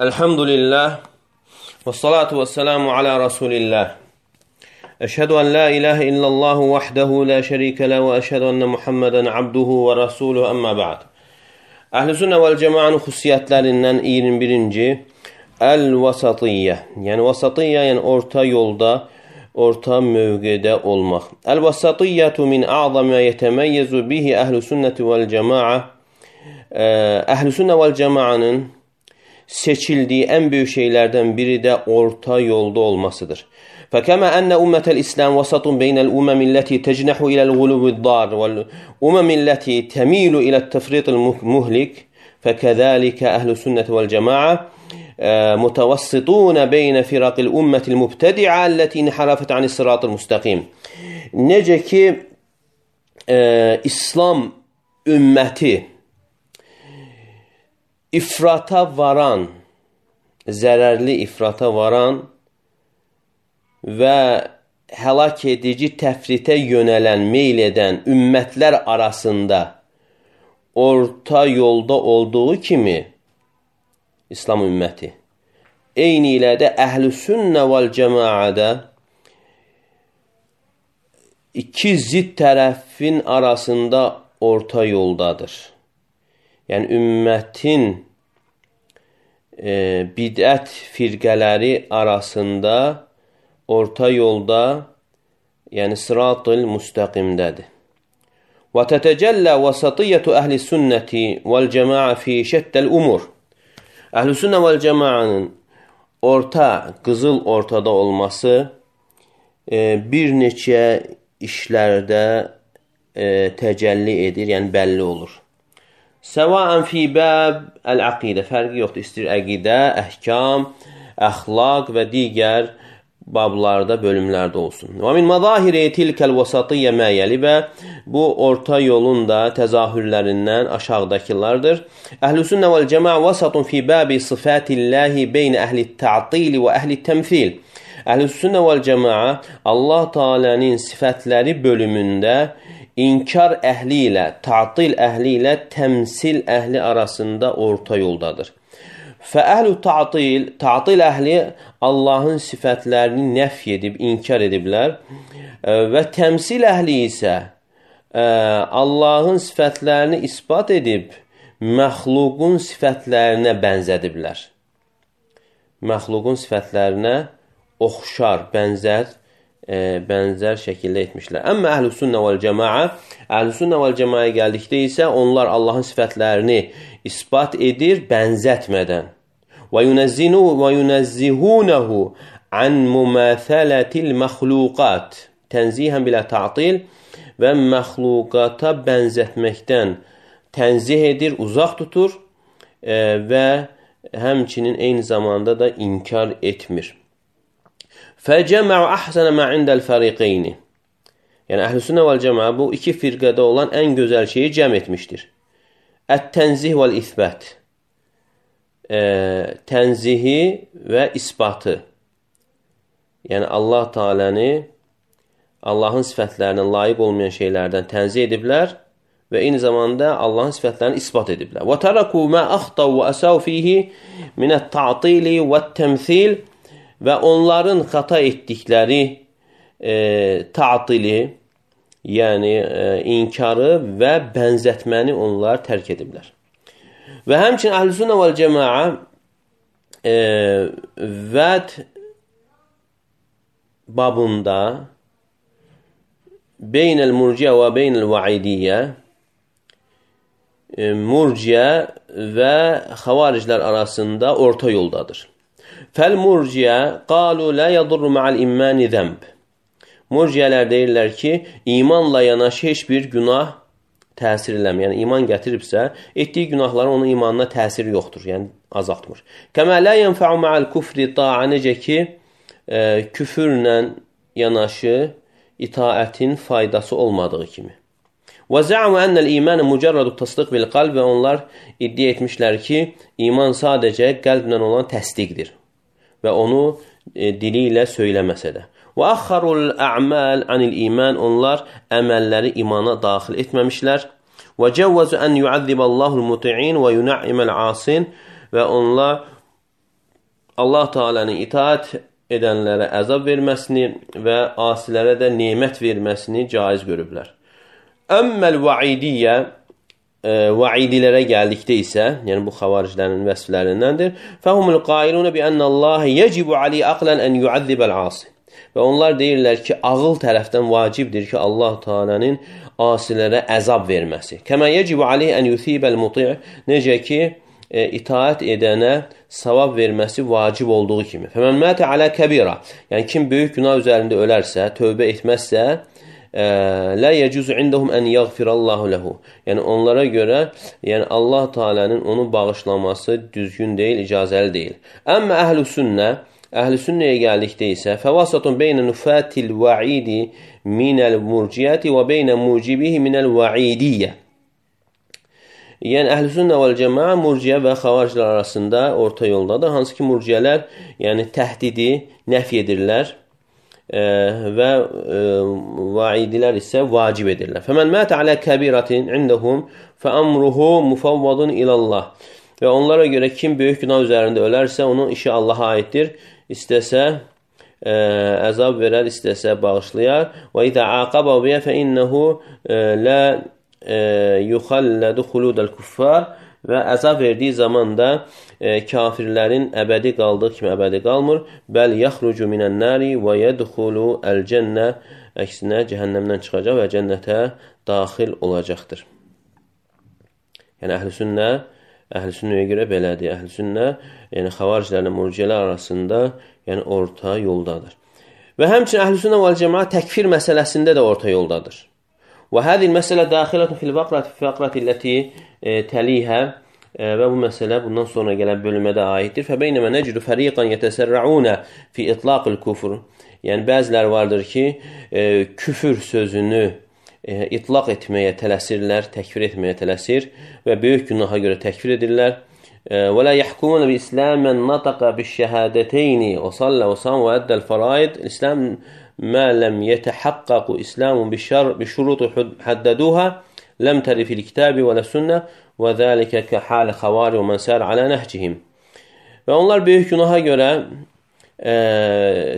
Elhamdülillah ve salatu ve selamu ala Resulillah. Eşhedü en la ilahe illallahu vahdehu la şerike le ve eşhedü enne Muhammeden abduhu ve rasuluhu amma ba'd. Əhl-i Sünnə vəl Cəmaənin xüsusiyyətlərindən 21-ci Əl-Vasatiyyə. Yəni vasatiyyə, yəni orta yolda, orta mövqedə olmaq. Əl-Vasatiyyətu min a'zam və yetəməyyezu bihi Əhl-i Sünnəti vəl Cəmaə. Əhl-i Sünnə vəl Cəmaənin seçildiyi ən böyük şeylərdən biri də orta yolda olmasıdır. فَكَمَا أَنَّ أُمَّةَ الْإِسْلَامِ وَسَطٌ بَيْنَ الْأُمَمِ الَّتِي تَجْنَحُ إِلَى الْغُلُوِّ الضَّارِ وَالْأُمَمِ الَّتِي تَمِيلُ إِلَى التَّفْرِيطِ الْمُهْلِكِ فَكَذَلِكَ أَهْلُ السُّنَّةِ وَالْجَمَاعَةِ مُتَوَسِّطُونَ بَيْنَ فِرَقِ الْأُمَّةِ الْمُبْتَدِعَةِ الَّتِي انْحَرَفَتْ عَنِ الصِّرَاطِ الْمُسْتَقِيمِ. Necə ki, İslam ümməti ifrata varan, zərərli ifrata varan və həlak edici təfritə yönələn, meyl edən ümmətlər arasında orta yolda olduğu kimi İslam ümməti, eyni ilə də Əhl-i Sünnə vəl Cəmaədə iki zidd tərəfin arasında orta yoldadır. Yəni, ümmətin bidət firqələri arasında orta yolda, yəni sırat-ı müstəqimdədir. Və tətəcəllə vasatiyyətu əhl-i sünnəti vəl-cəmaə fi şəddəl umur. Əhl-i sünnə vəl-cəmaənin orta, qızıl ortada olması bir neçə işlərdə təcəlli edir, yəni bəlli olur. Səvaən fi bəb əl-əqidə, fərqi yoxdur, istəyir əqidə, əhkam, əxlaq və digər bablarda, bölümlərdə olsun. Və min məzahiri tilkəl vasatiyyə məyəli və bu orta yolun da təzahürlərindən aşağıdakılardır. Əhl-i sünnə vəl cəmaə vasatun fi bəbi sıfatilləhi beynə əhli ta'tili və əhli təmthil. Əhl-i sünnə vəl cəmaə Allah Teala'nın sifətləri bölümündə İnkar əhli ilə, ta'til əhli ilə təmsil əhli arasında orta yoldadır. Fəəhl-ü ta'til əhli Allahın sifətlərini nəf edib, inkar ediblər və təmsil əhli isə Allahın sifətlərini isbat edib, məxluqun sifətlərinə bənzədiblər. Məxluqun sifətlərinə oxşar, bənzər şəkildə etmişlər. Əmmə əhl-i sünnə vəl-cəmaə, əhl-i sünnə vəl-cəmaəyə gəldikdə isə onlar Allahın sifətlərini isbat edir, bənzətmədən. Və yunəzzihunəhu ən müməthələtil məxluqat, tənzihən bilə ta'til və məxluqata bənzətməkdən tənzih edir, uzaq tutur və həmçinin eyni zamanda da inkar etmir. فَجَمَعُ أَحْسَنَ مَا عِنْدَ الْفَرِقَيْنِ. Yəni, Əhl-i Sünnə vəl-Cəmaə bu iki firqədə olan ən gözəl şeyi cəm etmişdir. Ət-tənzih vəl-İthbət. Tənzihi və isbatı. Yəni, Allah Teala'nı Allahın sifətlərindən layiq olmayan şeylərdən tənzih ediblər və eyni zamanda Allahın sifətlərini isbat ediblər. وَتَرَكُوا مَا أَخْطَوْا وَأَسَوْا فِيهِ مِنَ التَّعْطِيلِ وَالتَّمْثِيلِ. Və onların xata etdikləri ta'tili, yəni inkarı və bənzətməni onlar tərk ediblər. Və həmçinin Əhl-i Sünnə vəl Cəmaə vəd babında beynəl murciə və beynəl vaidiyyə, murciə və xavariclər arasında orta yoldadır. Fəl-murciə qalu lə yadurru ma'al immani zəmb. Murciyələr deyirlər ki, imanla yanaşı heç bir günah təsir eləmir. Yəni, iman gətiribsə, etdiyi günahların onun imanına təsiri yoxdur, yəni azaltmır. Kəmə lə yənfəu ma'al kufri ta'a, necə ki, küfürlə yanaşı itaətin faydası olmadığı kimi. Və zə'mu ennəl imanə mücərrədu təsdiq bil qalb, və onlar iddia etmişlər ki, iman sadəcə qəlblə olan təsdiqdir və onu dili ilə söyləməsə də. Və əxxarul ə'məl anil iman, onlar əməlləri imana daxil etməmişlər. Və cəvvəzu ən yuəzziballahul muti'in və yunə'iməl asin, və onlar Allah Teala'nın itaat edənlərə əzab verməsini və asilərə də nemət verməsini caiz görüblər. Əmməl vaidiyyə, vaidilərə gəldikdə isə, yəni bu xavariclərin vəsflərindəndir. Fəhumul qailunə bi ənəllahi yecibu ali aqlan ən yuazzibəl asi. Və onlar deyirlər ki, ağıl tərəfdən vacibdir ki, Allah Teala'nın asilərə əzab verməsi. Kəmə yecibu aleyh ən yusibəl muti', necə ki, itaat edənə savab verməsi vacib olduğu kimi. Fəmən mətə alə kəbira, yəni kim böyük günah üzərində ölərsə, tövbə etməzsə, la yecuzu indahum ən yaghfirallahu lehu. Yəni onlara görə, yəni Allah Teala'nın onu bağışlaması düzgün deyil, icazəli deyil. Əmmə əhl-i sünnəyə gəldikdə isə fəvasatun beynə nufatil vaidi minəl murciyyəti və beynə mucibihi minəl vaidiyyə. Yəni əhl-i sünnə vəl cəmaə murciyə və xavariclər arasında orta yoldadır. Hansı ki murciyələr yəni təhdidi nəfi edirlər və vaidilər isə vacib edirlər. Fəmən mətə alə kəbiratin indəhum fəəmruhu mufavvadun ilallah. Və onlara görə kim böyük günah üzərində ölərsə, onun işi Allaha aiddir. İstəsə əzab verər, istəsə bağışlayar. Və idə aqaba biyə fə innəhu lə yuxallədu xuludəl kuffar. Və əzab verdiyi zaman da kafirlərin əbədi qaldığı kimi əbədi qalmır. Bəl yaxrucu minən nəri və yədxulu əl-cənnə, əksinə cəhənnəmdən çıxacaq və cənnətə daxil olacaqdır. Yəni əhl-i sünnəyə görə belədir. Əhl-i sünnə, yəni xavariclərlə murciyələr arasında yəni orta yoldadır. Və həmçinin əhl-i sünnə vəl cəmaə təkfir məsələsində də orta yoldadır. Və həzil məsələ daxilətun fil fəqrati ləti təlihə, və bu məsələ bundan sonra gələn bölmədə aiddir. Fəbeynəmə nəcdu fəriqan yətəsərrəunə fi itlaqil kufr. Yəni bəziləri vardır ki, küfür sözünü itlaq etməyə tələsirlər, təkfir etməyə tələsir və böyük günaha görə təkfir edirlər. Və la yəhkumun bi İslamən nataqa bi şəhədəteyni və sallə və sam və əddəl fəraid. İslam mə ləm yətəhaqqaqu İslamun bi şurutu həddəduhə ləm təri fil kitabi və lə sünnə və zəlikə kə halə xavari və mən sər alə nəhcihim. Və onlar böyük günaha görə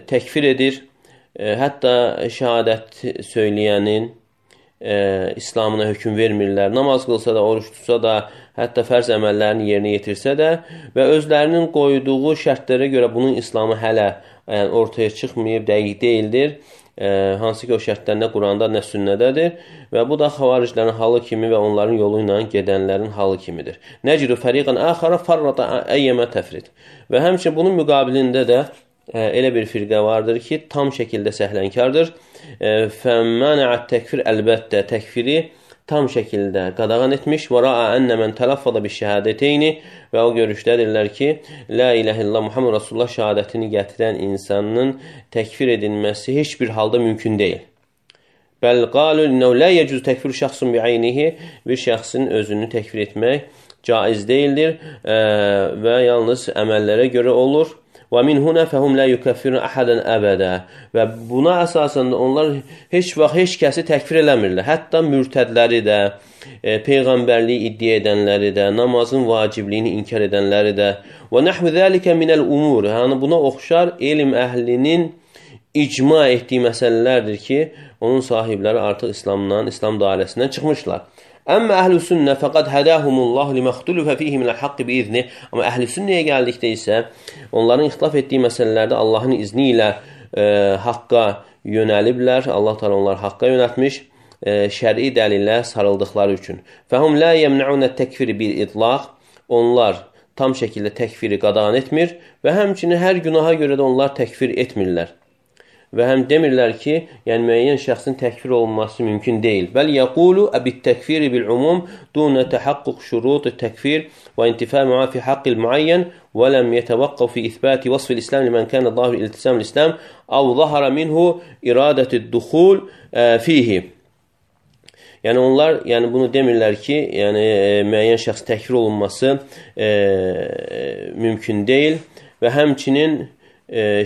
təkfir edir. Hətta şəhadət söyləyənin İslamına hökm vermirlər. Namaz qılsa da, oruç tutsa da, hətta fərz əməllərini yerinə yetirsə də və özlərinin qoyduğu şərtlərə görə bunun İslamı hələ ortaya çıxmayıb, dəqiq deyildir. Hansı ki o şərtlər nə Quranda, nə sünnədədir və bu da xavariclərin halı kimi və onların yolu ilə gedənlərin halı kimidir. Nəcru fəriqan əxara farrata əyyəmə təfrid. Və həmçinin bunun müqabilində də elə bir firqə vardır ki, tam şəkildə səhlənkardır. Fəmmənəət təkfir, əlbəttə təkfiri tam şəkildə qadağan etmiş. Və ra'a ənə mən tələffada bi şəhədəteyni, və o görüşdədirlər ki, la iləhə illallah Muhammed Rasulullah şəhadətini gətirən insanın təkfir edilməsi heç bir halda mümkün deyil. Bəl qalu innəhu la yecuz təkfir şəxsun bi'aynihi, bir şəxsin özünü təkfir etmək caiz deyildir və yalnız əməllərə görə olur. Və min huna fəhum la yukaffirun ahadan əbədə. Və buna əsasən onlar heç vaxt heç kəsi təkfir eləmirlər. Hətta mürtədləri də, peyğəmbərliyi iddia edənləri də, namazın vacibliyini inkar edənləri də. Və nəhvu zəlikə minəl umur. Yəni buna oxşar elm əhlinin icma etdiyi məsələlərdir ki, onun sahibləri artıq İslamdan, İslam dairəsindən çıxmışlar. Əmmə əhl-i sünnə fəqad hədəhumullahu liməxtulufə fihi minəl haqqı biizni. Amma əhl-i sünnəyə gəldikdə isə onların ixtilaf etdiyi məsələlərdə Allahın izni ilə haqqa yönəliblər. Allah təala onları haqqa yönəltmiş şəri dəlillə sarıldıqları üçün. Fəhum la yemna'un təkfiri bil itlaq. Onlar tam şəkildə təkfiri qadağan etmir və həmçinin hər günaha görə də onlar təkfir etmirlər. Və həm demirlər ki, yəni müəyyən şəxsin təkfir olunması mümkün deyil. Bəl yəqulu bit-təkfiri bil-umum duna təhaqquq şurut təkfir və intifa ma fi haqqil muayyan və ləm yetəvaqqaf fi isbati vasf el-islam liman kana zahir iltisam el-islam aw zahara minhu iradatu-dukhul fihi. Yəni onlar bunu demirlər ki, yəni müəyyən şəxs təkfir olunması mümkün deyil və həmçinin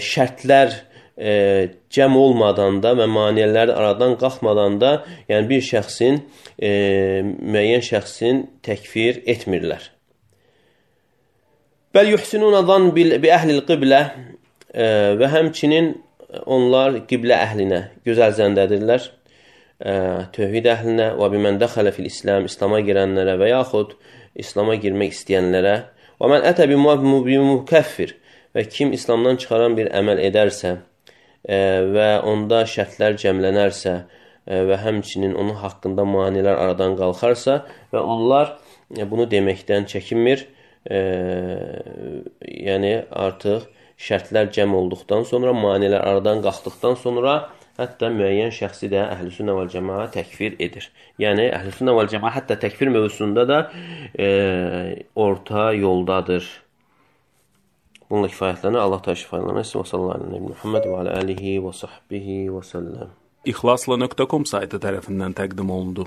şərtlər cəm olmadan da və maniyələr aradan qalxmadan da yəni bir şəxsin, müəyyən şəxsin təkfir etmirlər. Bəl yuhsinuna zan bi əhlil qiblə və həmçinin onlar qiblə əhlinə gözəl zəndədirlər. Tövhid əhlinə və bimən dəxələ fil İslam, İslama girənlərə və yaxud İslama girmək istəyənlərə və mən ətə bimukəffir və kim İslamdan çıxaran bir əməl edərsə və onda şərtlər cəmlənərsə və həmçinin onun haqqında manilər aradan qalxarsa və onlar bunu deməkdən çəkinmir, yəni artıq şərtlər cəm olduqdan sonra, manilər aradan qalxdıqdan sonra hətta müəyyən şəxsi də Əhl-i-Sünnə vəl-Cəmaə təkfir edir. Yəni Əhl-i-Sünnə vəl-Cəmaə hətta təkfir mövzusunda da orta yoldadır. Bununla kifayətlənir. Allah təala şifalanır. Sallallahu əleyhi və Muhammed və alə alihi və səhbihi və səlləm. İxlasla.com saytı tərəfindən təqdim olundu.